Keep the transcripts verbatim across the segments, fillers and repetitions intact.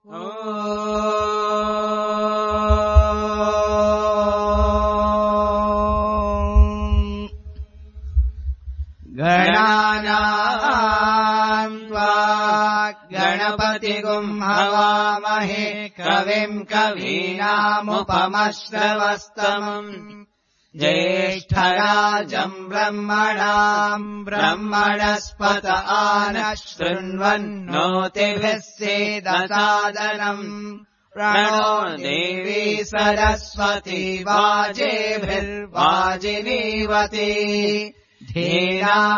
गणानाम् त्वा गणपतिगुम् हवामहे कविम् कवीनामुपमश्रवस्तमम् ज्येष्ठराजम् ब्रह्मणाम् ब्रह्मणस्पत आनः शृण्वन्नोतिभिः सेदसादनम् प्रणो देवी सरस्वती वाजेभिर्वाजिनीवती धीरामवित्रयवतु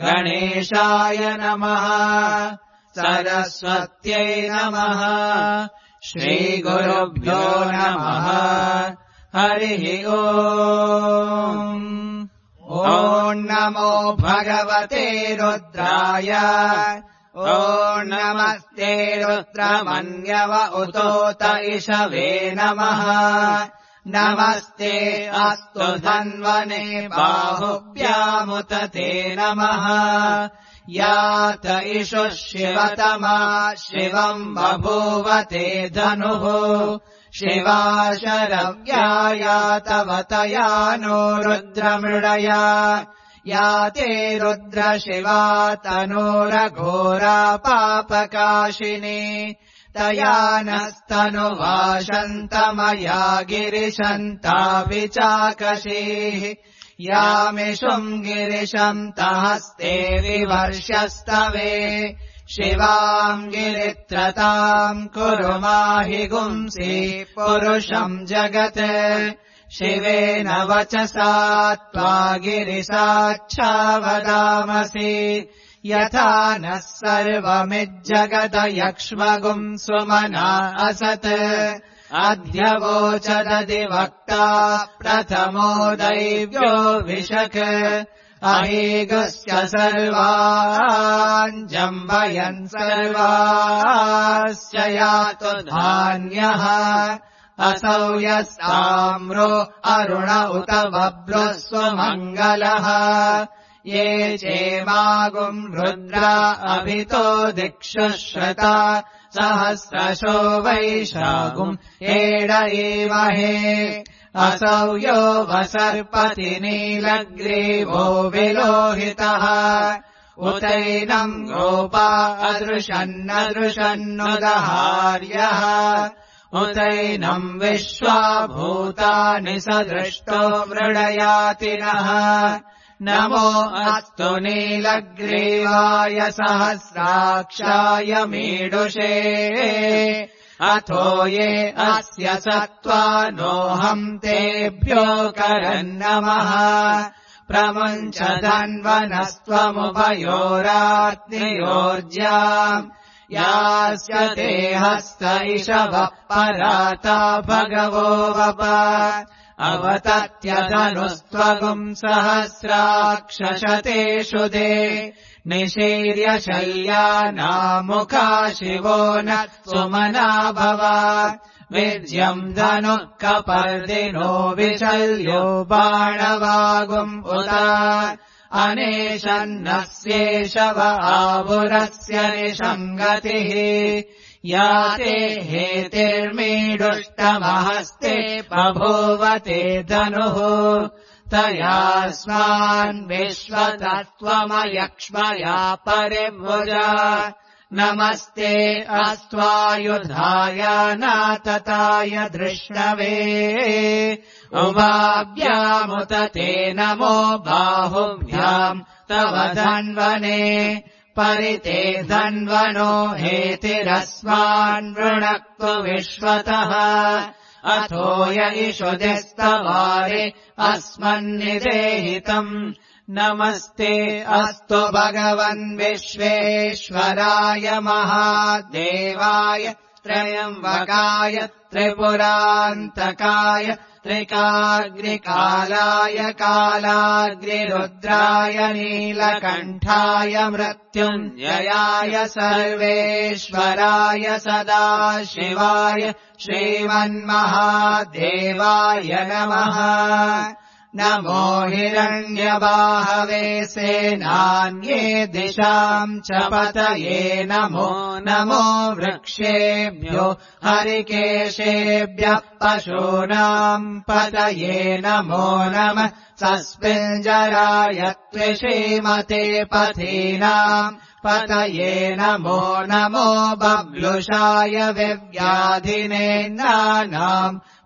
गणेशाय नमः सरस्वत्यै नमः श्रीगुरुभ्यो नमः हरिः ओम् ॐ नमो भगवते रुद्राय ॐ नमस्ते रुद्रमन्यव उतोत इषवे नमः नमस्ते अस्तु धन्वने बाहुभ्यामुत ते नमः यात इषुः शिवतमा शिवम् बभूव ते धनुः शिवा शरव्यायातवतया नो रुद्रमृडया या ते रुद्रशिवा तनूरघोरा पापकाशिनी तया नस्तनुवाशन्तमया गिरिशन्ता विचाकशीः यामिषुम् गिरिशन्तहस्ते विवर्षस्तवे शिवाम् गिरित्रताम् कुरु माहि गुंसि पुरुषम् जगत् शिवेन वचसा त्वा गिरिसाच्छावदामसि यथा नः सर्वमिज्जगदयक्ष्मगुम् सुमना असत् अध्यवोचदधिवक्ता प्रथमो दैव्यो विशक अहेगस्य सर्वान् जम्बयन् सर्वास्य यातु धान्यः असौ यस्ताम्रो अरुण उत बभ्रुः स्वमङ्गलः ये चेमागुम् रुद्रा अभितो दिक्षुश्रता सहस्रशो वैशागुम् एड एमहे असौ यो वसर्पति नीलग्रीवो विलोहितः उतैनम् गोपा अदृशन्नदृशन्नुदहार्यः उतैनम् विश्वा भूतानि सदृष्टो मृडयातिनः नमो अस्तु नीलग्रीवाय सहस्राक्षाय मीडुषे अथो ये अस्य सत्त्वा नोऽहम् तेभ्यो करन्नमः प्रमुञ्च धन्वनस्त्वमुभयोरात्नियोर्ज्याम् यास्य ते हस्त इषवः पराता भगवो वप अवतत्यधनुस्त्वगुम् सहस्राक्षशतेषु दे निशीर्य शल्यानामुखा शिवो न सुमना भव विज्यम् धनुः कपर्दिनो विशल्यो बाणवागुम् उत अनेशन्नस्येषव आपुरस्य निषङ्गतिः या ते हेतिर्मीडुष्टमहस्ते बभूवते धनुः तयास्मान् विश्वतत्त्वमयक्ष्मया परिभुजा नमस्ते अस्त्वायुधाय नातताय धृष्णवे उभाभ्यामुत ते नमो बाहुभ्याम् तव धन्वने परिते धन्वनो हेतिरस्मान् वृणक्तु विश्वतः अथो य इषुधिस्तवारे अस्मन्निदेहितम् नमस्ते अस्तु भगवन् विश्वेश्वराय महादेवाय त्रयम्बकाय त्रिपुरान्तकाय त्रिकाग्निकालाय कालाग्निरुद्राय नीलकण्ठाय मृत्युञ्जयाय सर्वेश्वराय सदाशिवाय श्रीमन्महादेवाय नमः नमो हिरण्यबाहवे सेनान्ये दिशाम् च पतये नमो नमो वृक्षेभ्यो हरिकेशेभ्यः पशूनाम् पतये नमो नमः सस्मिञ्जराय त्विषीमते पथीनाम् पतये नमो नमो बब्लुषाय विव्याधिनेन्नानाम्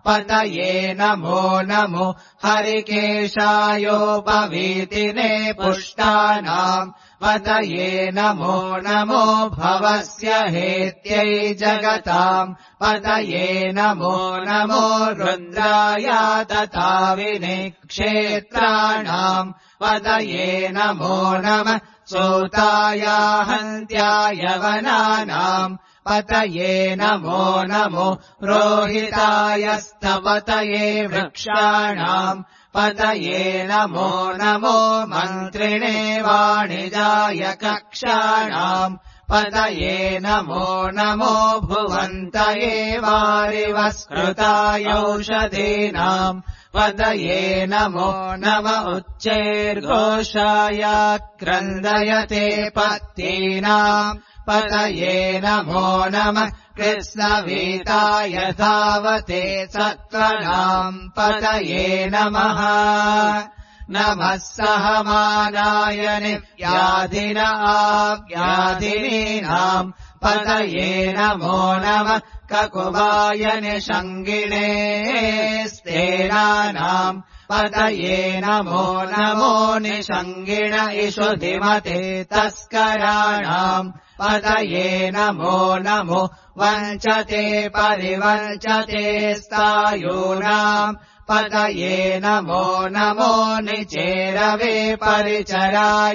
पतये नमो नमो हरिकेशायोपवीतिने पुष्टानाम् पतये नमो नमो भवस्य हेत्यै जगताम् पतये नमो नमो रुद्राय तथाविने क्षेत्राणाम् पतये नमो नमः सूताय हन्त्याय वनानाम् पतये नमो नमो रोहिताय स्थपतये वृक्षाणाम् पतये नमो नमो मन्त्रिणे वाणिजाय कक्षाणाम् पतये नमो नमो भुवन्तये वारिवस्कृताय औषधीनाम् पतये नमो नम उच्चैर्घोषाय क्रन्दयते पत्तीनाम् पतये नमो नमः कृष्णवीताय धावते सत्त्वनाम् पतये नमः नमः सहमानाय निव्याधिन आव्याधिनीनाम् पतये नमो नमः ककुवाय निषङ्गिणे स्तेनानाम् पतये नमो नमो निषङ्गिण इषुधिमते तस्कराणाम् पतये नमो नमो वञ्चते परिवञ्चते स्थायूनाम् पतये नमो नमो निचेरवे परिचरायारण्यानाम्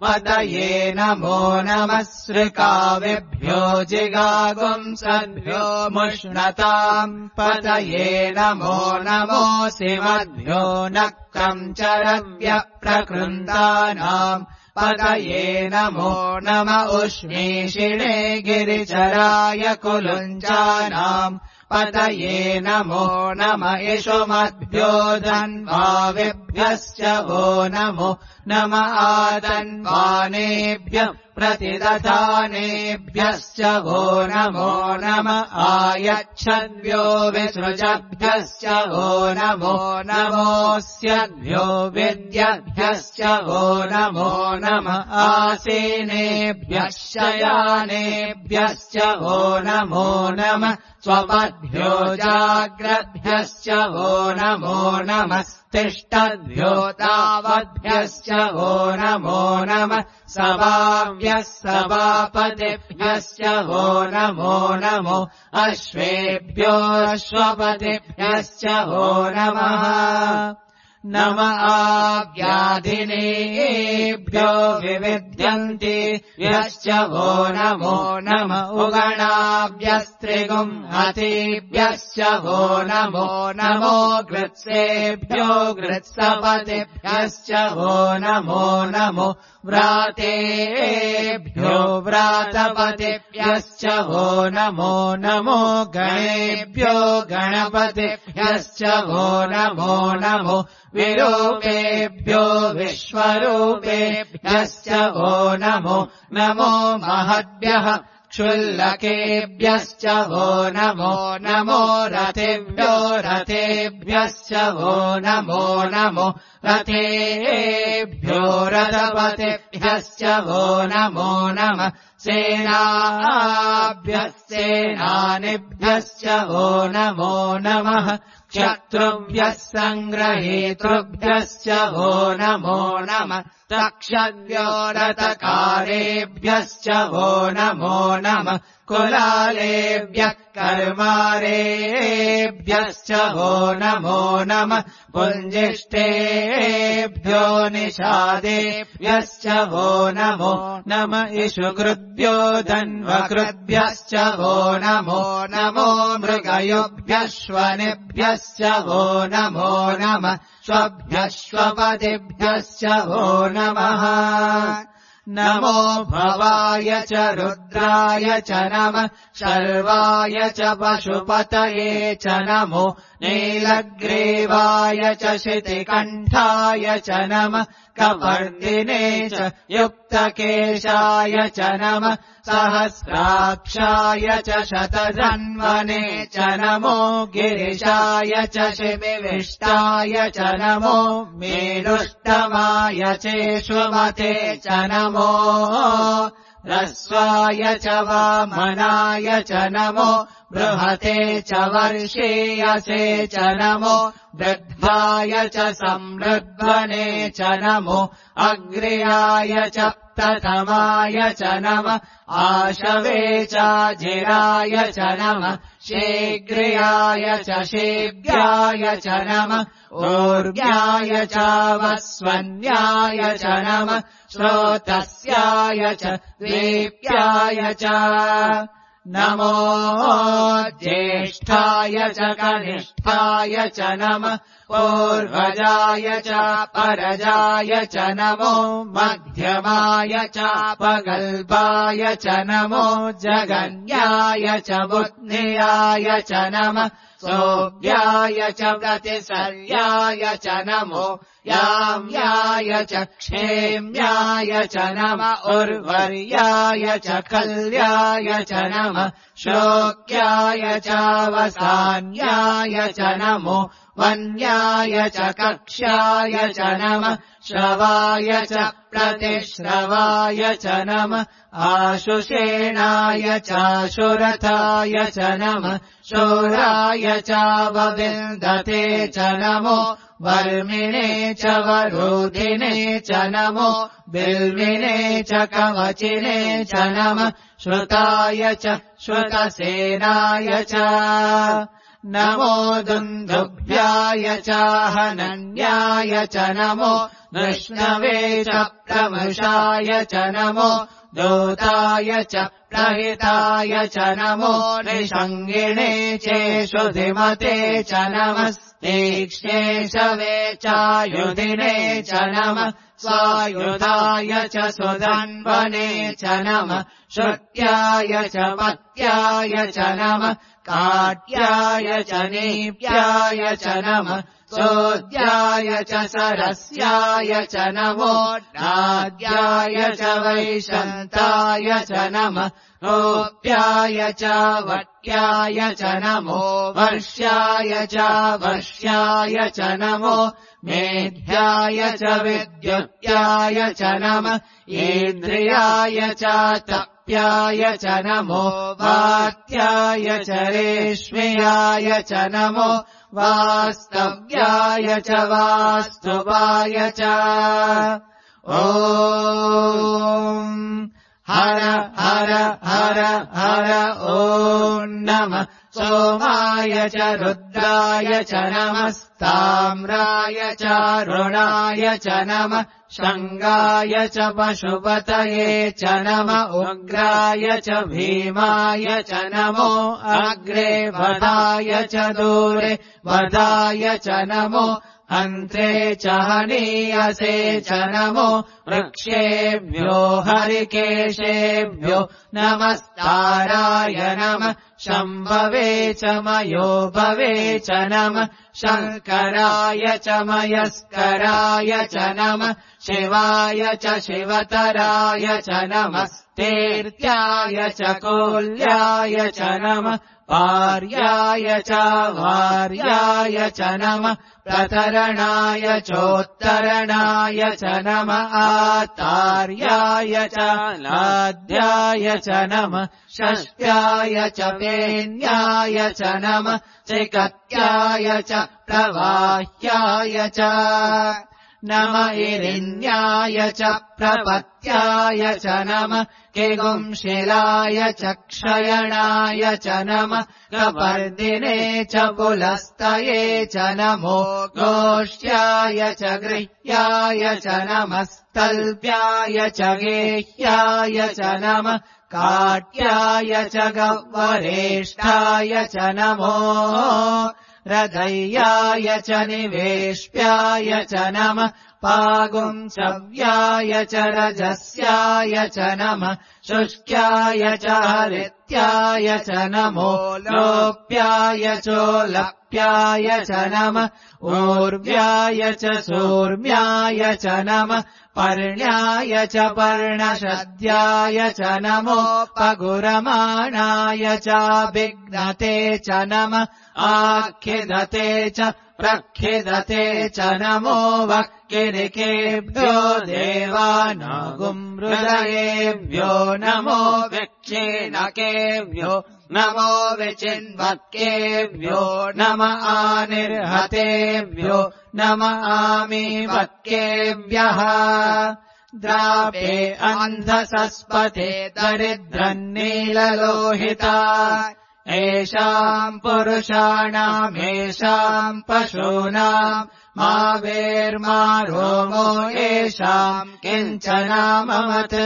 पतये नमो नमः सृकाविभ्यो जिगागुंसद्भ्यो मुष्णताम् पतये नमो नमो सिमद्भ्यो नक्रम् चरव्यप्रकृन्तानाम् पतये नमो नम उष्णीषिणे गिरिचराय कुलुञ्जानाम् पतये नमो नम इषुमद्भ्यो धन्वाविभ्यश्च वो नमो नम आदन्वानेभ्यः प्रतिदधानेभ्यश्च वो नमो नम आयच्छद्भ्यो विसृजभ्यश्च वो नमो नमोऽस्यद्भ्यो विद्यभ्यश्च वो नमो नम आसीनेभ्यः शयानेभ्यश्च वो नमो नम स्वपद्भ्यो जाग्रद्भ्यश्च वो नमो नमः तिष्ठद्भ्यो तावद्भ्यश्च वो नमो नमः सभाभ्यः सभापतिभ्यश्च वो नमो नमो अश्वेभ्यो अश्वपतिभ्यश्च वो नमः नम आव्याधिनेभ्यो विविध्यन्ति यश्च वो नमो नम उगणाभ्यस्त्रिगुम् हतिभ्यश्च वो नमो नमो गृत्सेभ्यो गृत्सपतिभ्यश्च वो नमो नमो व्रातेभ्यो व्रातपतिभ्यश्च वो नमो नमो गणेभ्यो गणपतिभ्यश्च वो नमो नमो विरूपेभ्यो विश्वरूपेभ्यश्च वो नमो नमो महद्भ्यः क्षुल्लकेभ्यश्च वो नमो नमो रथेभ्यो रथेभ्यश्च वो नमो नमो रथेभ्यो रथपतिभ्यश्च वो नमो नमः सेनाभ्यः सेनानिभ्यश्च वो नमो नमः शत्रुभ्यः सङ्ग्रहीतृभ्यश्च वो नमो नमः तक्षद्भ्यो रथकारेभ्यश्च वो नमो नमः कुलालेभ्यः कर्मारेभ्यश्च वो नमो नमः पुञ्जिष्टेभ्यो निषादेभ्यश्च वो नमो नम इषुकृद्भ्यो धन्वकृद्भ्यश्च वो नमो नमो मृगयुभ्यश्वनेभ्यश्च वो नमो नमः श्वभ्यश्वपतिभ्यश्च वो नमः नमो भवाय च रुद्राय च नमः शर्वाय च पशुपतये च नमो नीलग्रीवाय च शितिकण्ठाय च नमः कपर्दिने च युक्तकेशाय च नमः सहस्राक्षाय च शतधन्वने च नमो गिरिशाय च शिविविष्टाय च नमो मेरुष्टमाय चेष्वमते च नमो ह्रस्वाय च वामनाय च नमो बृहते च वर्षीयसे च नमो वृद्धाय च संवृद्ध्वने च नमो अग्र्याय च प्रथमाय च नमः आशवे चाजिराय च नमः शीघ्र्याय च शीघ्राय च नमः ऊर्व्याय च वस्वन्याय च नमः श्रोतस्याय च दीप्याय च नमो ज्येष्ठाय च कनिष्ठाय च नमः पूर्वजाय च परजाय च नमो मध्यमाय च पगल्पाय च नमो जगन्याय च बुद्ध्याय च नमः सोऽव्याय च प्रतिसर्याय च नमो याम्याय च क्षेम्याय च नमः उर्वर्याय च कल्याय च नमः शोक्याय च वसान्याय च नमो वन्याय च कक्ष्याय च नमः श्रवाय च प्रतिश्रवाय च नमः आशुषेणाय चाशुरथाय च नमः शूराय च वविन्दते च नमो वर्मिणे च वरोधिने च नमो बिल्विने च कवचिने च नमः श्रुताय च श्रुतसेनाय च नमो दुन्दुभ्याय च हनन्याय च नमो विष्णवे च प्रमृषाय च नमो दूताय च प्रहिताय च नमो निषङ्गिणे चेषुधिमते च नमः तीक्ष्णे शवे चायुधिने च नमः स्वायुधाय च सुधन्वने च नमः श्रुत्याय च पत्याय च नमः काट्याय च नीप्याय च नमः सोद्याय च सरस्याय च नमो नाद्याय च वैशन्ताय च नमः गोप्याय च वट्याय च नमो वर्ष्याय च वर्ष्याय च नमो मेध्याय च विद्युत्याय च नमः इन्द्रियाय च तप्याय च नमो वात्याय च रेश्म्याय च नमो वास्तव्याय च वास्तुवाय च ॐ हर हर हर हर ॐ नमः सोमाय च रुद्राय च नमस्ताम्राय च रुणाय च नमः शङ्गाय च पशुपतये च नमः उग्राय च भीमाय च नमो अग्रे वधाय च दूरे वधाय च नमो अन्त्रे च हनीयसे च नमो वृक्षेभ्यो हरिकेशेभ्यो नमस्ताराय नमः शम्भवे च मयो भवे च नमः शङ्कराय च मयस्कराय च नमः शिवाय च शिवतराय च नमः तीर्थ्याय च कोल्याय च नमः पार्याय च वार्याय च नमः प्रतरणाय चोत्तरणाय च नमः आतार्याय च लाद्याय च नमः षष्ट्याय च पेन्याय च नमः चिकत्याय च प्रवाह्याय च नम इरिन्याय च प्रपत्याय च नमः किगुंशिलाय च क्षयणाय च नमः कपर्दिने च पुलस्तये च नमो गोष्ठ्याय च गृह्याय च नमः स्तल्प्याय च गेह्याय च नमः काट्याय च गह्वरेष्ठाय च नमो रथय्याय च निवेश्याय च नमः पागुंसव्याय च रजस्याय च नमः शुष्क्याय च हरित्याय च नमो लोप्याय चोलप्याय च नमः ऊर्व्याय च सूर्म्याय च नमः पर्ण्याय च पर्णशद्याय च नमो पगुरमाणाय च विघ्नते च नमः आखिदते च प्रखिदते च नमो वक्किरिकेभ्यो देवानागुंहृदयेभ्यो नमो विक्षीणकेभ्यो नमो विचिन्वक्केभ्यो नम आनिर्हतेभ्यो नम आमीवक्केभ्यः द्रापे अन्धसस्पते दरिद्रन्नीललोहिता एषाम् पुरुषाणामेषाम् पशूनाम् मा वेर्मा रोमो येषाम् किञ्चनाममत्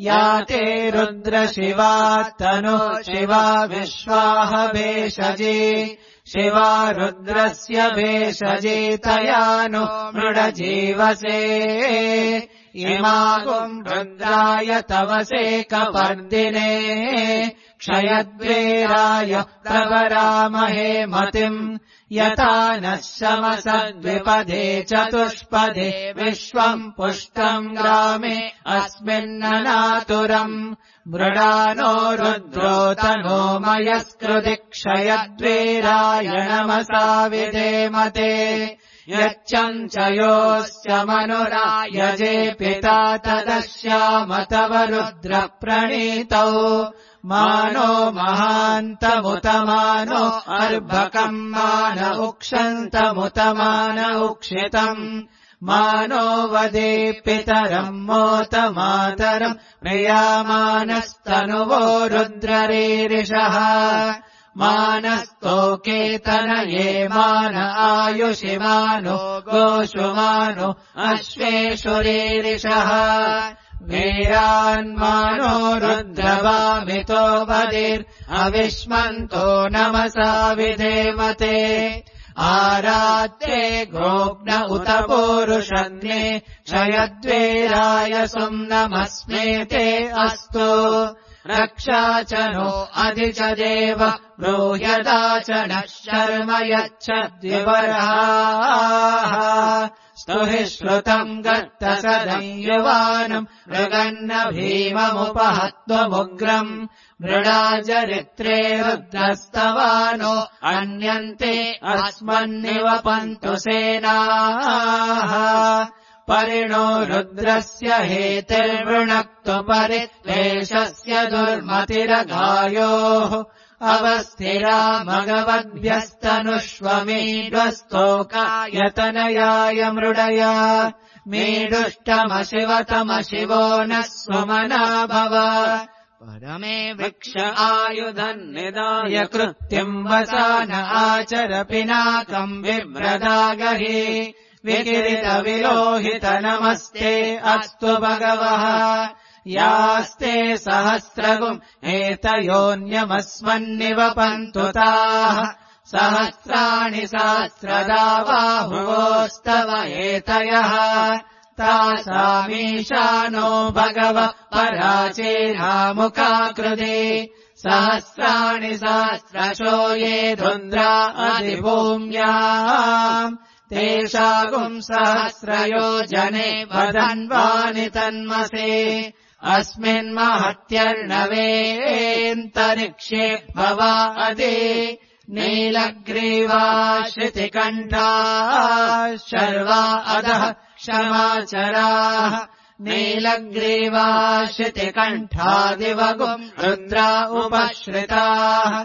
या ते रुद्रशिवा तनो शिवा विश्वाह भेषजे शिवा रुद्रस्य भेषजे तया नो मृडजीवसे इमागुम् रुद्राय तवसे कपर्दिने क्षयद्वेराय प्रवरामहे मतिम् यथा नः शमसद्विपदे चतुष्पदे विश्वम् पुष्टम् ग्रामे अस्मिन्ननातुरम् मृडानो रुद्रो तनो मयस्कृति क्षयद्वेराय नमसा विधेमते यच्चञ्चयोश्च मनुरायजे पिता तदश्याम तव रुद्रप्रणीतौ मानो महान्तमुतमानो अर्भकम् मान उक्षन्तमुतमान उक्षितम् मानो वदे पितरम् मोत मातरम् प्रियामानस्तनुवो रुद्ररीरिषः मानस्तोकेतनये मान आयुषि मानो गोषु मानो अश्वेषु रीरिषः वीरान्मानो रुद्रवामितो वदिर् अविष्मन्तो नमसा विधेमते आरात्ये गोग्न उत पूरुषन्ये क्षयद्वेराय सुम्नमस्मेते अस्तु रक्षा च नो अधि च देव ब्रूह्यदा च नः शर्म यच्छद्विवराः स्तुहि श्रुतम् गर्तसदम् युवानम् मृगन्न भीममुपहत्वमुग्रम् मृडाचरित्रे रुद्रस्तवानो अन्यन्ते अस्मन्निवपन्तु सेनाः परिणो रुद्रस्य हेतिर्वृणक्तु परित्वेषस्य दुर्मतिरगायोः अवस्थिरा मगवद्भ्यस्तनुष्वमीड्वस्तोकायतनयाय मृडया मीडुष्टमशिवतमशिवो नः सुमना भव परमे वृक्ष आयुधन्निदाय कृत्यम् वसान आचर पिनाकम् बिभ्रदागहि विकिरितविलोहित नमस्ते अस्तु भगवः यास्ते सहस्रगुम् एतयोऽन्यमस्मन्निवपन्तु ताः सहस्राणि सहस्रदा बाहुवोस्तव एतयः तासामीशानो भगव पराचेनामुखाकृते सहस्राणि सहस्रशो ये रुद्रा अधिभूम्याम् तेषागुम् सहस्रयोजने वदन्वानि तन्मसे अस्मिन्महत्यर्णवेऽन्तरिक्षे भवा अदे नीलग्रीवा श्रुतिकण्ठाः शर्वा अधः क्षमाचराः नीलग्रीवा श्रुतिकण्ठादिवगुम् रुद्रा उपश्रिताः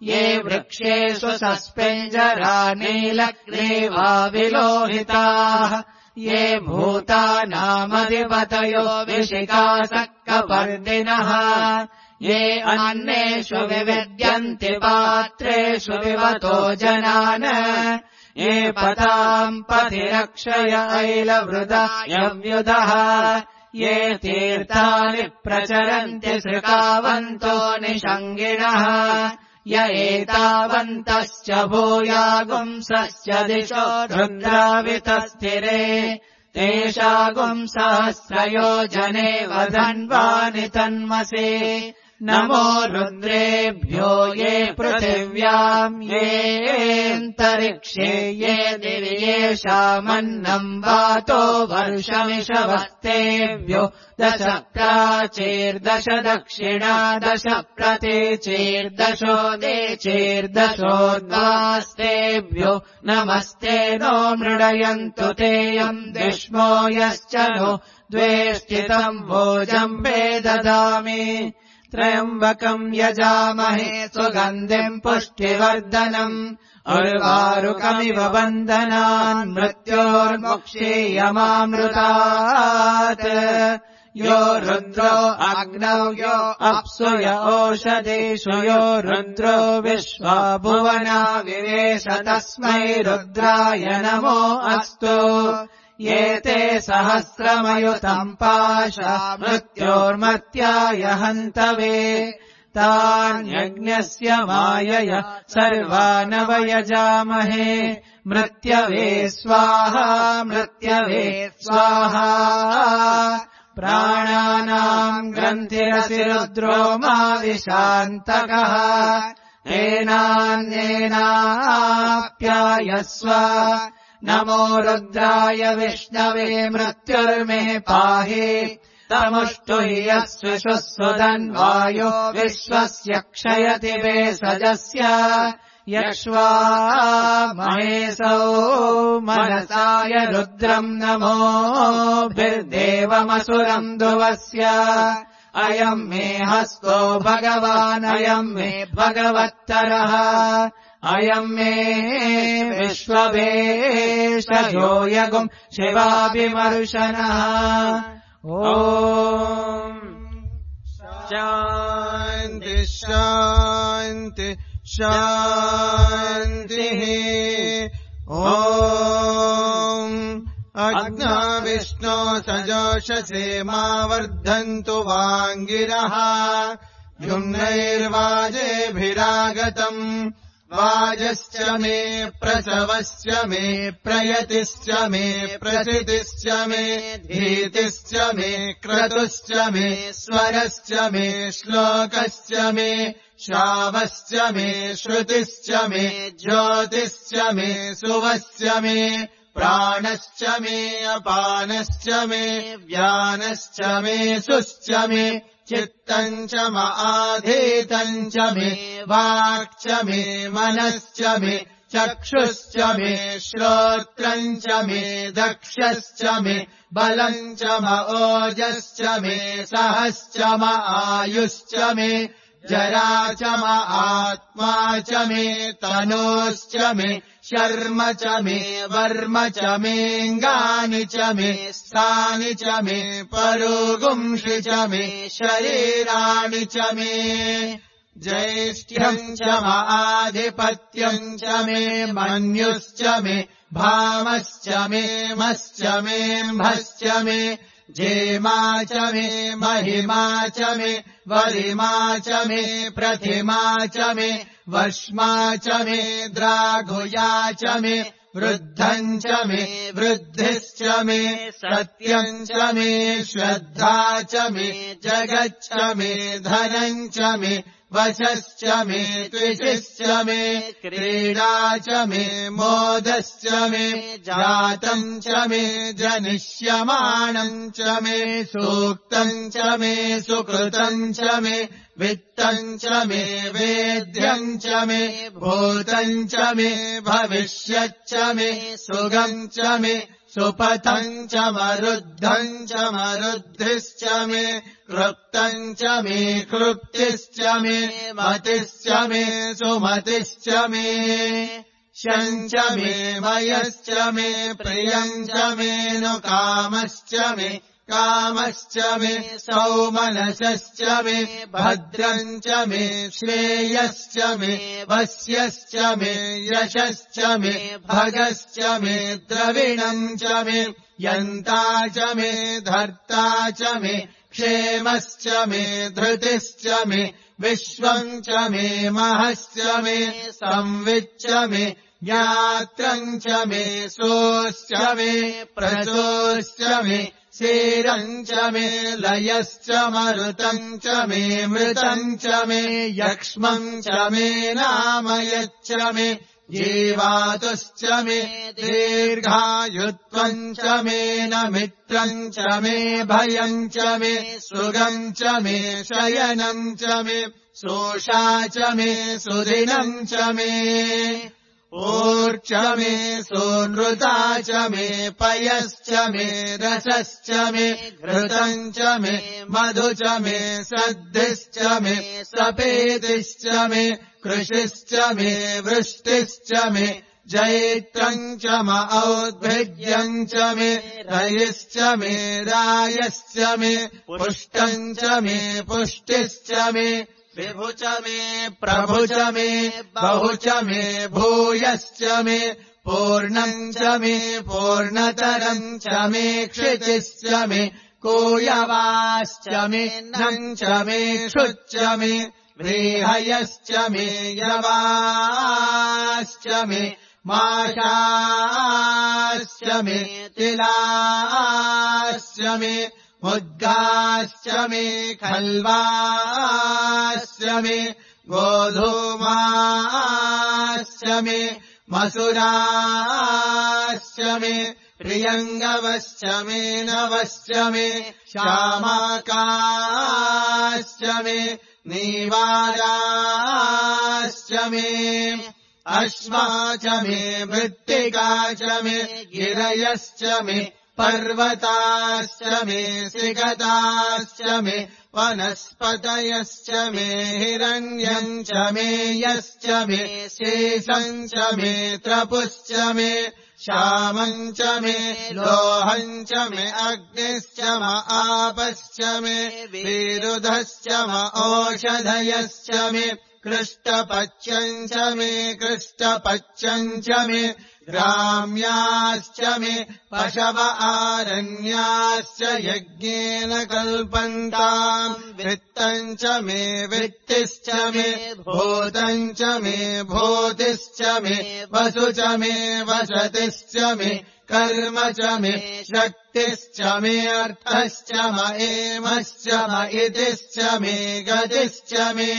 ये वृक्षेषु सस्पेञ्जरा नीलग्रीवा विलोहिताः ये भूतानामधिपतयो विशिखासक्कपर्दिनः ये अन्नेषु विविद्यन्ति पात्रेषु विवतो जनान् ये पताम् पथिरक्षय ऐलवृदायव्युधः ये तीर्थानि प्रचरन्ति सृकावन्तो निषङ्गिणः य एतावन्तश्च भूयागुंसश्च दिशो रुद्रावितस्थिरे तेषागुम् सहस्रयोजने वधन्वानि तन्मसे नमो रुद्रेभ्यो ये पृथिव्याम् येऽन्तरिक्षे ये दिवि येषामन्नम् वातो वर्षमिषवस्तेभ्यो दश प्राचीर्दश दक्षिणा दश प्रतीचीर्दशो देचीर्दशोद्वास्तेभ्यो नमस्ते नो मृडयन्तु तेयम् दिष्मो यश्च नो द्वेष्टितम् भोजम्बे ददामि त्र्यम्बकम् यजामहे सुगन्धिम् पुष्टिवर्धनम् उर्वारुकमिव बन्धनान् मृत्योर्मुक्षीयमामृतात् यो रुद्रो अग्नौ यो अप्सु य ओषधीषु यो रुद्रो विश्वा भुवना विवेश तस्मै रुद्राय नमो अस्तु ये ते सहस्रमयुतम् पाशा मृत्योर्मर्त्याय हन्तवे तान्यज्ञस्य मायया सर्वानवयजामहे मृत्यवे स्वाहा मृत्यवे स्वाहा प्राणानाम् ग्रन्थिरसि रुद्रो मा विशान्तकः तेनान्येनाप्यायस्व नमो रुद्राय विष्णवे मृत्युर्मे पाहि तमुष्टु हि यस्विषुः सुधन्वायो विश्वस्य क्षयति वेषजस्य यक्ष्वा महेशौ मनसाय रुद्रम् नमोभिर्देवमसुरम् ध्रुवस्य अयम् मे हस्तो भगवान् अयम् मे भगवत्तरः अयम् मे विश्ववेशयो यगुम् शिवाभिमर्शनः ॐ शान्ति शान्ति शान्तिः ॐ अग्ना विष्णो सजोषसे मा वर्धन्तु वाङ्गिरः युम्नैर्वाजेभिरागतम् वाजश्च मे प्रसवश्च मे प्रयतिश्च मे प्रसितिश्च मे धीतिश्च मे क्रतुश्च मे स्वरश्च मे श्लोकश्च मे श्रावश्च मे श्रुतिश्च मे ज्योतिश्च मे सुवश्च मे प्राणश्च मे अपानश्च मे व्यानश्च मे सुश्च मे चित्तम् च आधीतम् च मे वाक् च मे मनश्च मे चक्षुश्च मे श्रोत्रम् च मे दक्षश्च मे बलम् च ओजश्च मे सहश्च आयुश्च मे जरा च आत्मा च मे तनोश्च मे शर्म च मे वर्म च मेऽङ्गानि च मे स्थानि च मे परोगुंषि च मे शरीराणि च मे ज्येष्ठ्यम् च आधिपत्यम् च मे मन्युश्च मे भामश्च मे मश्च मेऽम्भश्च मे जेमा च मे महिमा च मे वरिमा च मे प्रतिमा च मे वश्मा च मे द्राघुया च मे वृद्धम् च मे वृद्धिश्च मे सत्यम् च मे श्रद्धा च मे जगच्च मे धनम् च मे वशश्च मे त्विषिश्च मे क्रीडा च मे मोदश्च मे जातम् च मे जनिष्यमाणम् च मे सूक्तम् च मे सुकृतम् च मे वित्तम् च मे वेद्यम् च मे भूतम् च मे भविष्यच्च मे सुगम् च मे सुपथम् च मरुद्धम् च मरुद्धिश्च मे कृप्तम् च मे कृप्तिश्च मे मतिश्च मे सुमतिश्च मे शम् च मे वयश्च मे प्रियम् च मे नु कामश्च मे कामश्च मे सौमनसश्च मे भद्रम् च मे श्रेयश्च मे वस्यश्च मे यशश्च मे भगश्च मे द्रविणम् च मे यन्ता च मे धर्ता च मे क्षेमश्च मे धृतिश्च मे विश्वम् च मे महश्च मे संविच्च मे ज्ञात्रम् च मे सोऽश्च मे प्रसोऽश्च मे शेरम् च मे लयश्च मरुतम् च मे मृतम् च मे यक्ष्मम् च मे नामयच्च मे जीवातुश्च मे दीर्घायुत्वम् च मे न मित्रम् च मे भयम् च मे सुगम् च मे शयनम् च मे सोषा च मे सुदिनम् च मे ऊर्च मे सोनृता च मे पयश्च मे रसश्च मे घृतम् च मे मधु च मे सद्धिश्च मे सपेतिश्च मे कृषिश्च मे वृष्टिश्च मे जैत्रम् च म औद्भिद्यम् च मे रयिश्च मे रायश्च मे पुष्टम् च मे पुष्टिश्च मे विभु च मे प्रभु च मे बहु च मे भूयश्च मे पूर्णम् च मे पूर्णतरम् च मे क्षितिश्च मे कोयवाश्च मे नम् च मे क्षुच्च मे व्रीहयश्च मे यवाश्च मे माशाश्च मे तिलाश्च मे मुद्गाश्च मे खल्वाश्च मे गोधूमाश्च मे मसुराश्च मे प्रियङ्गवश्च मे नवश्च मे श्यामाकाश्च मे नीवाराश्च मे अश्वा च मे मृत्तिका च मे गिरयश्च मे पर्वताश्च मे सिगताश्च मे वनस्पतयश्च मे हिरण्यम् च मे यश्च मे शेषम् च मे त्रपुश्च मे श्यामम् च मे लोहम् च मे अग्निश्च म आपश्च मे विरुधश्च म ओषधयश्च मे कृष्टपच्यम् च मे कृष्टपच्यम् च मे ग्राम्याश्च मे पशव आरण्याश्च यज्ञेन कल्पन्ताम् वित्तम् च मे वित्तिश्च मे भूतम् च मे भूतिश्च मे वसु च मे वसतिश्च मे कर्म च मे शक्तिश्च मे अर्थश्च म एमश्च म इतिश्च मे गतिश्च मे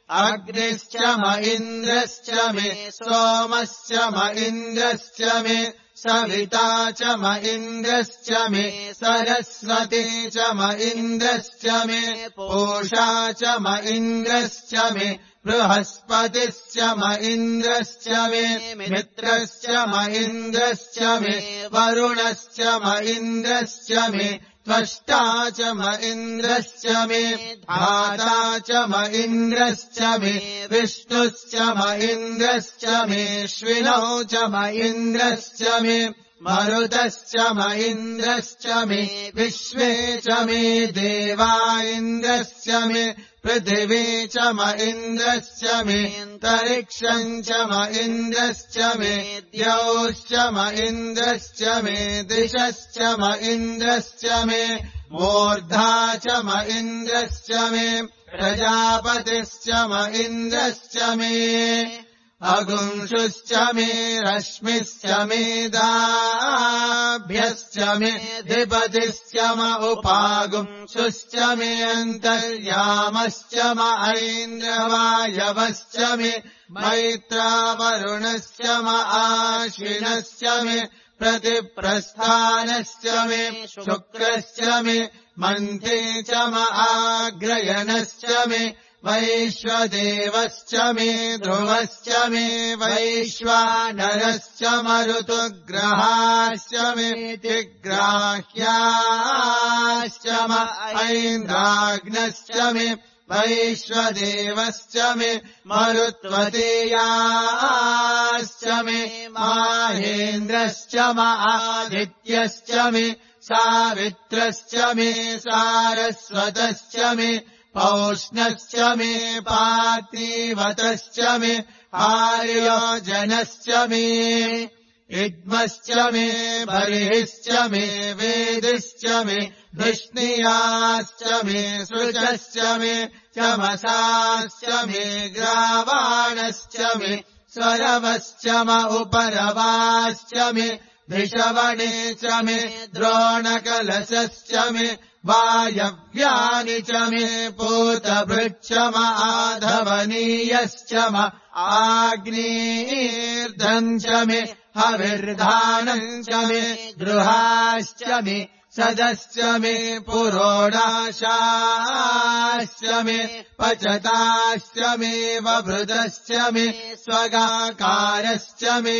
अग्निश्च म इन्द्रश्च मे सोमश्च म इन्द्रश्च मे सविता च म इन्द्रश्च मे सरस्वती च म इन्द्रश्च मे पूषा च म इन्द्रश्च मे बृहस्पतिश्च म इन्द्रश्च मे मित्रश्च म इन्द्रश्च मे वरुणश्च म इन्द्रश्च मे त्वष्टा च म इन्द्रश्च मे धाता च म इन्द्रश्च मे विष्णुश्च म इन्द्रश्च मे श्विनौ च म इन्द्रश्च मे मरुतश्च म इन्द्रश्च मे विश्वे च मे देवा इन्द्रश्च मे पृथिवी च म इन्द्रश्च मे तरिक्षम् च म इन्द्रश्च मे द्यौश्च म इन्द्रश्च मे दिशश्च म इन्द्रश्च मे मूर्धा च म इन्द्रश्च मे प्रजापतिश्च म इन्द्रश्च मे अगुंशुश्च मे रश्मिश्च मे दाभ्यश्च मे धिपतिश्च म उपागुंशुश्च मे अन्तर्यामश्च म ऐन्द्रवायवश्च मे मैत्रावरुणश्च म आश्विनश्च मे प्रतिप्रस्थानश्च मे शुक्रश्च मे मन्थे च म आग्रयणश्च मे वैश्वदेवश्च मे ध्रुवश्च मे वैश्वानरश्च मरुतुग्रहाश्च मे तिग्राह्याश्च म ऐन्द्राग्नश्च मे वैश्वदेवश्च मे मरुत्वतेयाश्च मे माहेन्द्रश्च म आदित्यश्च मे सावित्रश्च मे सारस्वतश्च मे पौष्णश्च मे पार्थिवतश्च मे आर्योजनश्च मे इद्मश्च मे बर्हिश्च मे वेदिश्च मे धिष्णियाश्च मे सृजश्च मे चमसाश्च मे ग्रावाणश्च मे स्वरवश्च म उपरवाश्च मे धिषवणे च मे द्रोणकलशश्च मे वायव्यानि च मे पूतभृच्च म आधवनीयश्च म आग्नेर्धम् च मे हविर्धानम् च मे गृहाश्च मे सदश्च मे पुरोडाशाश्च मे पचताश्च मे वभृतश्च मे स्वगाकारश्च मे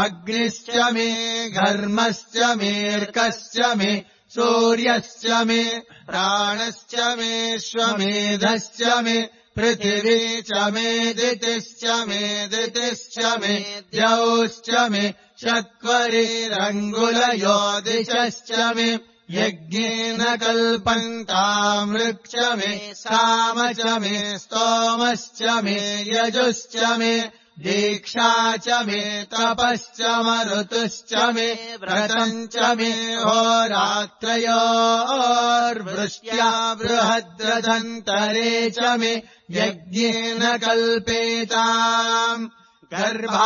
अग्निश्च मे घर्मश्च मेऽर्कश्च मे सूर्यश्च मे प्राणश्च मे श्वमेधश्च मे पृथिवी च मे दितिश्च मे दितिश्च मे द्यौश्च मे शक्वरीरङ्गुलयो दिशश्च मे यज्ञेन कल्पन्ताम् ऋक्ष मे साम च मे स्तोमश्च मे यजुश्च मे दीक्षा च मे तपश्च मरुतुश्च मे व्रतम् च मे होरात्रयोर्वृष्ट्या बृहद्रथन्तरे च मे यज्ञेन कल्पेताम् गर्भाश्च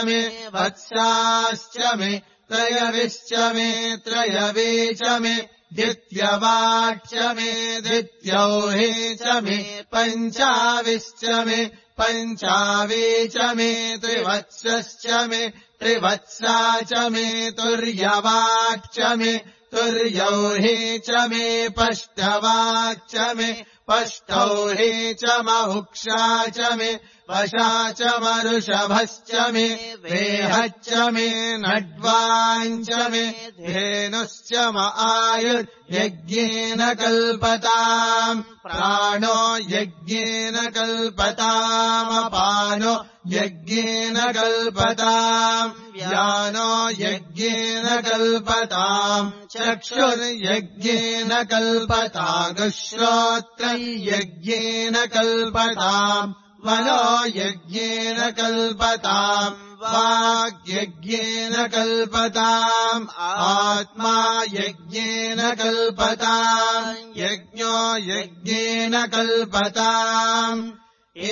मे वत्साश्च मे त्रयविश्च मे त्रयवे च मे द्वित्यवाक्ष मे द्वित्यौहे च मे पञ्चाविश्च मे पञ्चावे च मे त्रिवत्सश्च मे त्रिवत्सा च मे तुर्यवाक्ष मे तुर्यौहे च मे पष्टवाक्ष मे पष्टौहे च महुक्षा च मे वशा च मरुषभश्च मे वेहच्च मे नड्वाञ्च मे धेनुश्च म आयुर्यज्ञेन कल्पताम् प्राणो यज्ञेन कल्पतामपानो यज्ञेन कल्पताम् व्यानो यज्ञेन कल्पताम् चक्षुर्यज्ञेन कल्पतागुश्रोत्रम् यज्ञेन कल्पताम् मनो यज्ञेन कल्पताम् वाग्यज्ञेन कल्पताम् आत्मा यज्ञेन कल्पताम् यज्ञो यज्ञेन कल्पताम्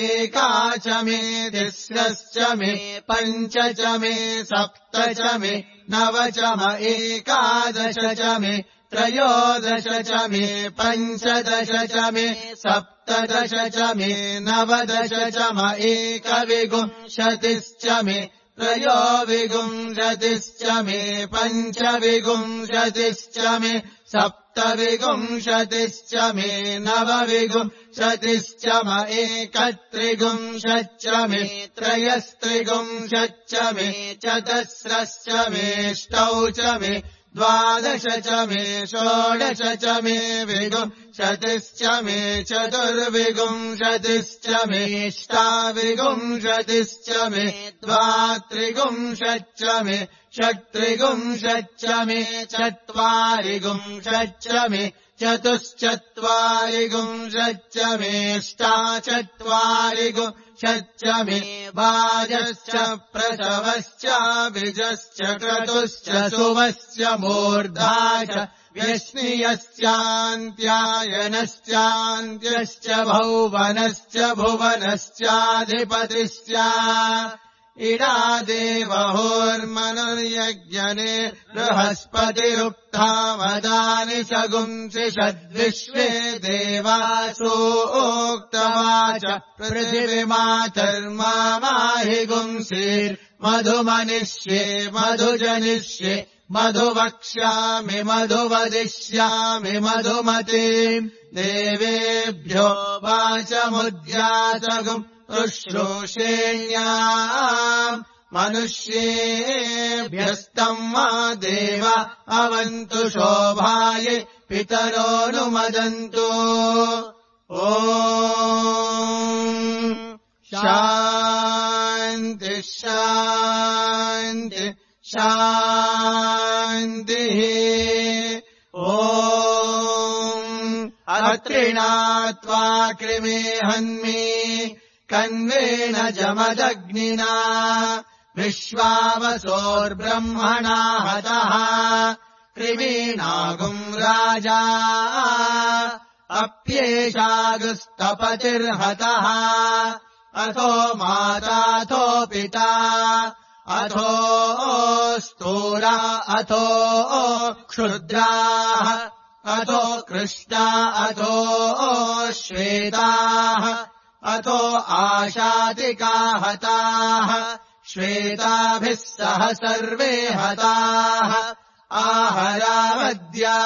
एका च मे तिस्रश्च मे पञ्च च मे सप्त च मे नव च म एकादश च मे त्रयोदश च मे पञ्चदश च मे सप्तदश च मे नवदश च म एकविंशतिश्च मे त्रयोविंशतिश्च मे पञ्चविंशतिश्च मे सप्तविंशतिश्च मे नवविंशतिश्च म एकत्रिंशच्च मे त्रयस्त्रिंशच्च मे चतस्रश्च मेष्टौ च मे द्वादश च मे षोडश च मे विंशतिश्च मे चतुर्विंशतिश्च मेष्टाविंशतिश्च मे द्वात्रिंशच्च मे षट्त्रिंशच्च मे चत्वारिंशच्च मे चतुश्चत्वारिंशच्च मेष्टाचत्वारिंशच्च मे वाजश्च प्रसवश्च बीजश्च क्रतुश्च सुवश्च मूर्धा च व्यश्नियश्चान्त्यायनश्चान्त्यश्च भौवनश्च भुवनश्चाधिपतिश्च इडादेवहोर्मनुर्यज्ञने बृहस्पतिरुक्था वदानि सगुंसि षद्विश्वे देवासोक्तवाच पृथिवीमातर्माहि गुंसीर्मधुमनिष्ये मधुजनिष्ये मधुवक्ष्यामि मधुवदिष्यामि मधुमतीम् देवेभ्यो वाचमुद्यातगुम् शुश्रूषेण्याम् मनुष्येभ्यस्तम् मा देव अवन्तु शोभाय पितरोऽनुमदन्तु ॐ शान्ति शान्ति शान्तिः ॐ अत्रिणात्वा कृमे हन्मि कन्वेन जमदग्निना विश्वावसोर्ब्रह्मणा हतः कृमीणागुम् राजा अप्येषागुस्तपतिर्हतः अथो माताथो पिता अथो स्थूला अथो क्षुद्राः अथो कृष्णा अथो श्वेताः अथो आशातिका हताः श्वेताभिः सह सर्वे हताः आहरावद्या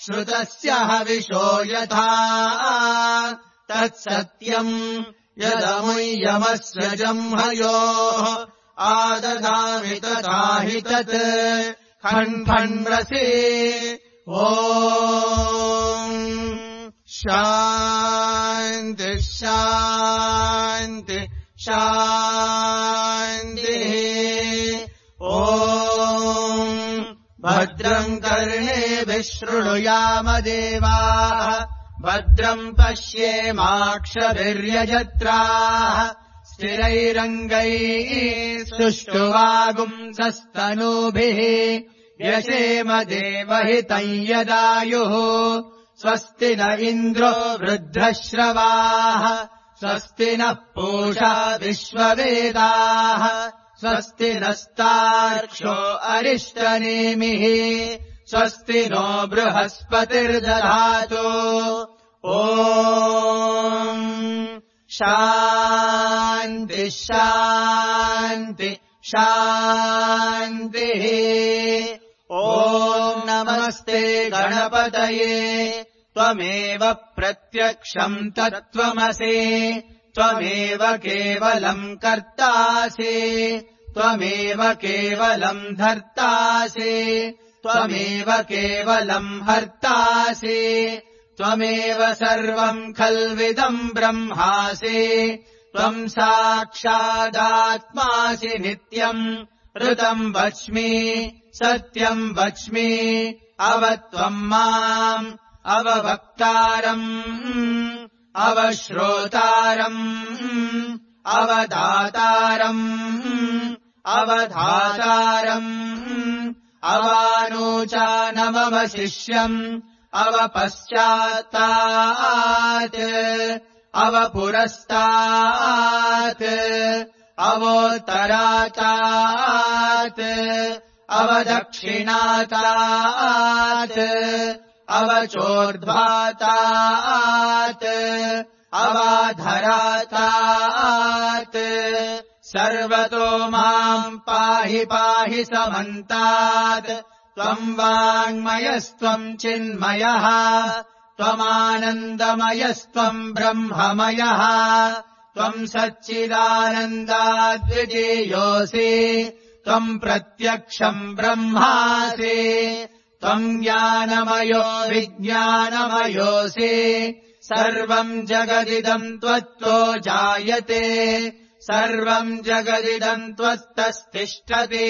श्रुतस्य हविषो यथा तत्सत्यम् यदमुय्यमस्य जह्मयोः आददामि तथा हि तत् खण्फण्रसि ॐ शान्ति शान्ति शान्तिः ॐ भद्रम् कर्णेभिः शृणुयाम देवाः भद्रम् पश्येमाक्षभिर्यजत्राः स्थिरैरङ्गैः सुष्ठुवागुंसस्तनूभिः व्यशेम देवहितम् यदायुः स्वस्ति न इन्द्रो वृद्धश्रवाः स्वस्ति नः पूषा विश्ववेदाः स्वस्ति नस्तार्क्ष्यो अरिष्टनेमिः स्वस्ति नो बृहस्पतिर्दधातु ॐ शान्ति शान्ति शान्तिः ॐ नमस्ते गणपतये त्वमेव प्रत्यक्षम् तत्त्वमसि त्वमेव केवलम् कर्तासि त्वमेव केवलम् धर्तासि त्वमेव केवलम् हर्तासि त्वमेव सर्वम् खल्विदम् ब्रह्मासि त्वम् साक्षादात्मासि नित्यम् ऋतम् वच्मि सत्यम् वच्मि अवत्वम् माम् अववक्तारम् अवश्रोतारम् अवदातारम् अवधातारम् अवानूचानमवशिष्यम् अवपश्चात्तात् अवपुरस्तात् अवोत्तरातात् अवदक्षिणातात् अवचोर्ध्वातात् अवाधरातात् सर्वतो माम् पाहि पाहि समन्तात् त्वम् वाङ्मयस्त्वम् चिन्मयः त्वमानन्दमयस्त्वम् ब्रह्ममयः त्वम् सच्चिदानन्दाद्वितीयोऽसि त्वम् प्रत्यक्षम् ब्रह्मासि त्वम् ज्ञानमयो विज्ञानमयोऽसि सर्वम् जगदिदम् त्वत्तो जायते सर्वम् जगदिदम् त्वत्तस्तिष्ठति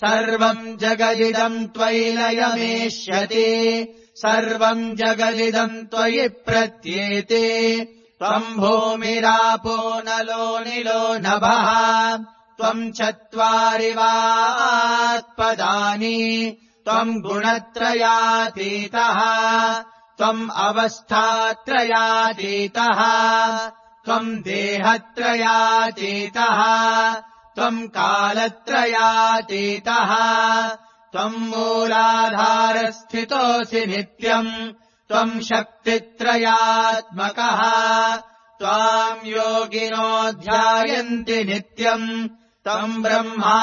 सर्वम् जगदिदम् त्वयि लयमेष्यति सर्वम् जगदिदम् त्वयि प्रत्येते त्वम् भूमिरापो नलो निलो नभः त्वम् चत्वारि वाक्पदानि त्वम् गुणत्रयातीतः त्वम् अवस्थात्रयातीतः त्वम् देहत्रयातीतः त्वम् कालत्रयातीतः त्वम् मूलाधारस्थितोऽसि नित्यम् त्वम् शक्तित्रयात्मकः त्वाम् योगिनो ध्यायन्ति नित्यम् त्वम् ब्रह्मा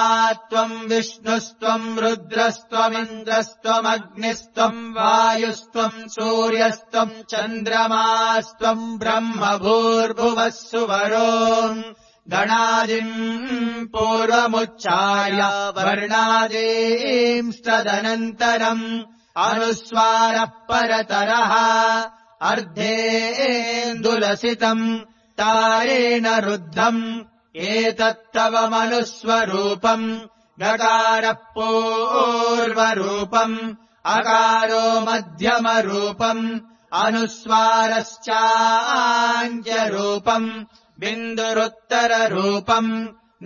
त्वम् विष्णुस्त्वम् रुद्रस्त्वमिन्द्रस्त्वमग्निस्त्वम् वायुस्त्वम् सूर्यस्त्वम् चन्द्रमास्त्वम् ब्रह्म भूर्भुवः सुवरो गणादिम् पूर्वमुच्चार्य वर्णादींस्तदनन्तरम् अनुस्वारः परतरः अर्धेन्दुलसितम् तारेण रुद्धम् एतत्तव मनुस्वरूपम् गकारः पूर्वरूपम् अकारो मध्यमरूपम् अनुस्वारश्चान्त्यरूपम् बिन्दुरुत्तररूपम्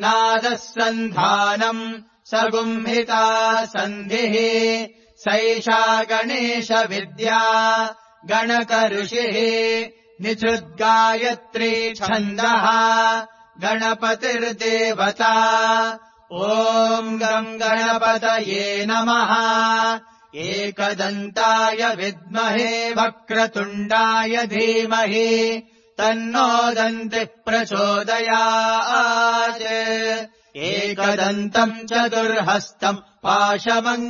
नादः सन्धानम् सगुम्हिता सन्धिः सैषा गणेशविद्या गणकऋषिः निचुद्गायत्री छन्दः गणपतिर्देवता ॐ गम् गणपतये नमः एकदन्ताय विद्महे वक्रतुण्डाय धीमहि तन्नो दन्तिः प्रचोदयात् एकदन्तम् चतुर्हस्तम् पाशमङ्कुशधारिणम्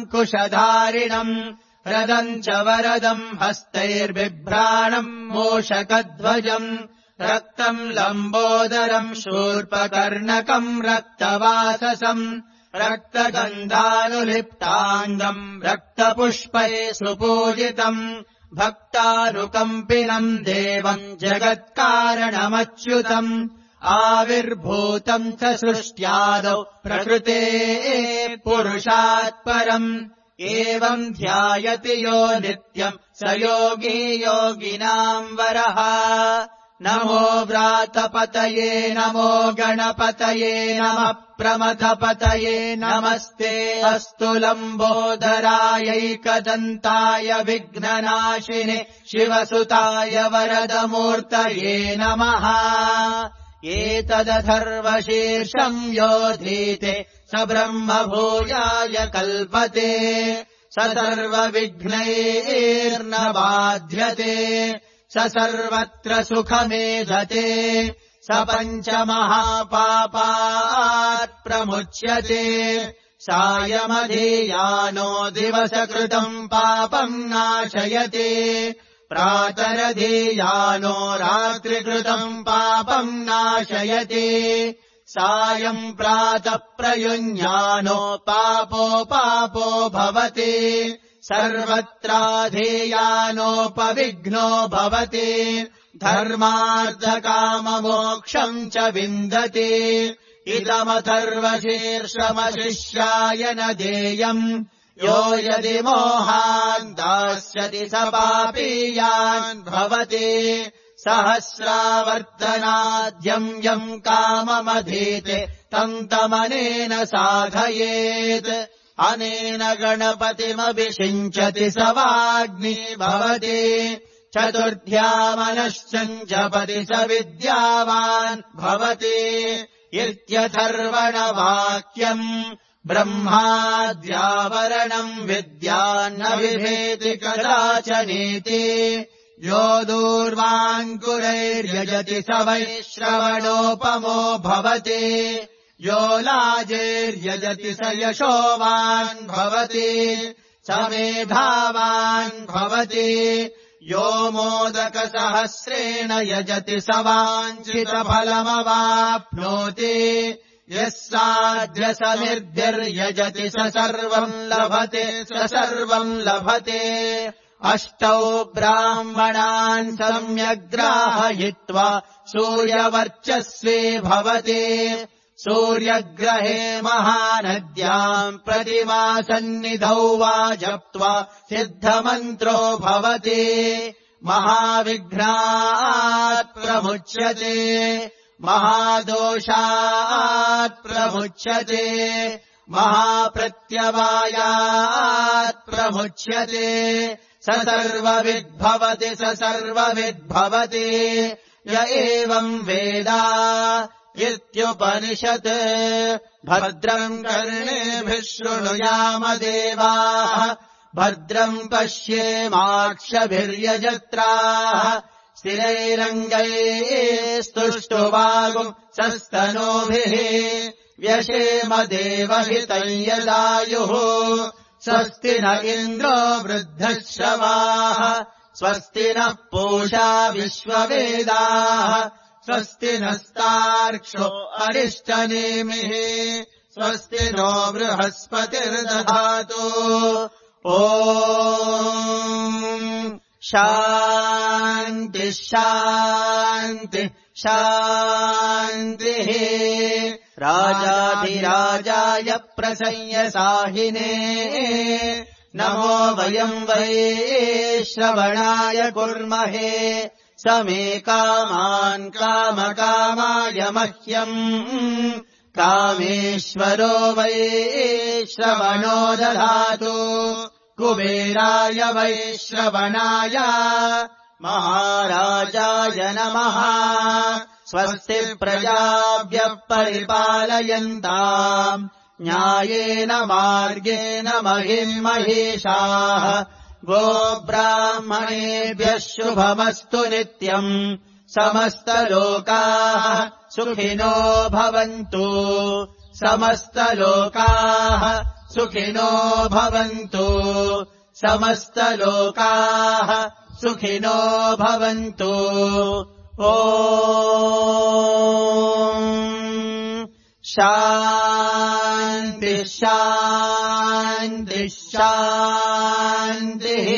रदम् च वरदम् हस्तैर्बिभ्राणम् मूषकध्वजम् रक्तम् लम्बोदरम् शूर्पकर्णकम् रक्तवाससम् रक्तगन्धानुलिप्ताङ्गम् रक्तपुष्पैः सुपूजितम् भक्तानुकम्पिनम् देवम् जगत्कारणमच्युतम् आविर्भूतम् च सृष्ट्यादौ प्रकृतेः पुरुषात् परम् एवम् ध्यायति यो नित्यम् स योगी योगिनाम् वरः नमो व्रातपतये नमो गणपतये नमः प्रमथपतये नमस्ते अस्तु लम्बोदरायैकदन्ताय विघ्ननाशिने शिवसुताय वरदमूर्तये नमः एतदथर्वशीर्षम् योधीते स ब्रह्मभूयाय कल्पते स सर्वविघ्नैर्न बाध्यते स सर्वत्र सुखमेधते स पञ्चमहापापात् प्रमुच्यते सायमधीयानो दिवसकृतम् पापम् नाशयते प्रातरधीयानो रात्रिकृतम् पापम् नाशयते सायम् प्रातः प्रयुञ्जानो पापो पापो भवति सर्वत्राधेयानोपविघ्नो भवति धर्मार्थकाममोक्षम् च विन्दति इदमथर्वशीर्षमशिष्याय न देयम् यो यदि मोहान् दास्यति स पापीयान् भवति सहस्रावर्तनाद्यम् यम् काममधीते तम् तमनेन साधयेत् अनेन गणपतिमभिषिञ्चति स वाग्मी भवति चतुर्थ्यामनश्चञ्जपति स विद्यावान् भवति इत्यथर्वणवाक्यम् ब्रह्माद्यावरणम् विद्यान्न विभेति कदाचनेति यो दूर्वाङ्कुरैर्यजति स वैश्रवणोपमो भवति यो लाजेर्यजति स यशोवान् भवति स मेधावान् भवति यो मोदकसहस्रेण यजति स वाञ्छितफलमवाप्नोति यः साध्यसमिर्भिर्यजति स सर्वम् लभते स सर्वम् लभते अष्टौ ब्राह्मणान् सम्यग्राहयित्वा सूर्यवर्चस्वी भवति सूर्यग्रहे महानद्याम् प्रतिमासन्निधौ वा जप्त्वा सिद्धमन्त्रो भवति महाविघ्नात् प्रमुच्यते महादोषात् प्रमुच्यते महाप्रत्यवायात् प्रमुच्यते स सर्वविद्भवति स सर्वविद्भवति य एवम् वेद इत्युपनिषत् भद्रम् कर्णेभिः शृणुयाम देवाः भद्रम् पश्येमाक्षभिर्यजत्राः स्थिरैरङ्गैस्तुष्टुवागुम् सस्तनूभिः व्यशेम देवहितम् यदायुः स्वस्ति न इन्द्रो वृद्धश्रवाः स्वस्ति नः पूषा विश्ववेदाः स्वस्ति नस्तार्क्ष्यो अरिष्टनेमिः स्वस्ति नो बृहस्पतिर्दधातु ॐ शान्ति शान्ति शान्तिः राजाधिराजाय प्रसंयसाहिने नमो वयम् वै श्रवणाय कुर्महे समे कामान् कामकामाय मह्यम् कामेश्वरो वै श्रवणो दधातु कुबेराय वै श्रवणाय महाराजाय नमः स्वस्ति प्रजाभ्यः परिपालयन्ताम् न्यायेन मार्गेण महिम् महिषाः गोब्राह्मणेभ्यः शुभमस्तु नित्यम् समस्तलोकाः सुखिनो भवन्तु समस्तलोकाः सुखिनो भवन्तु समस्तलोकाः सुखिनो भवन्तु ॐ शान्तिः शान्तिः शान्तिः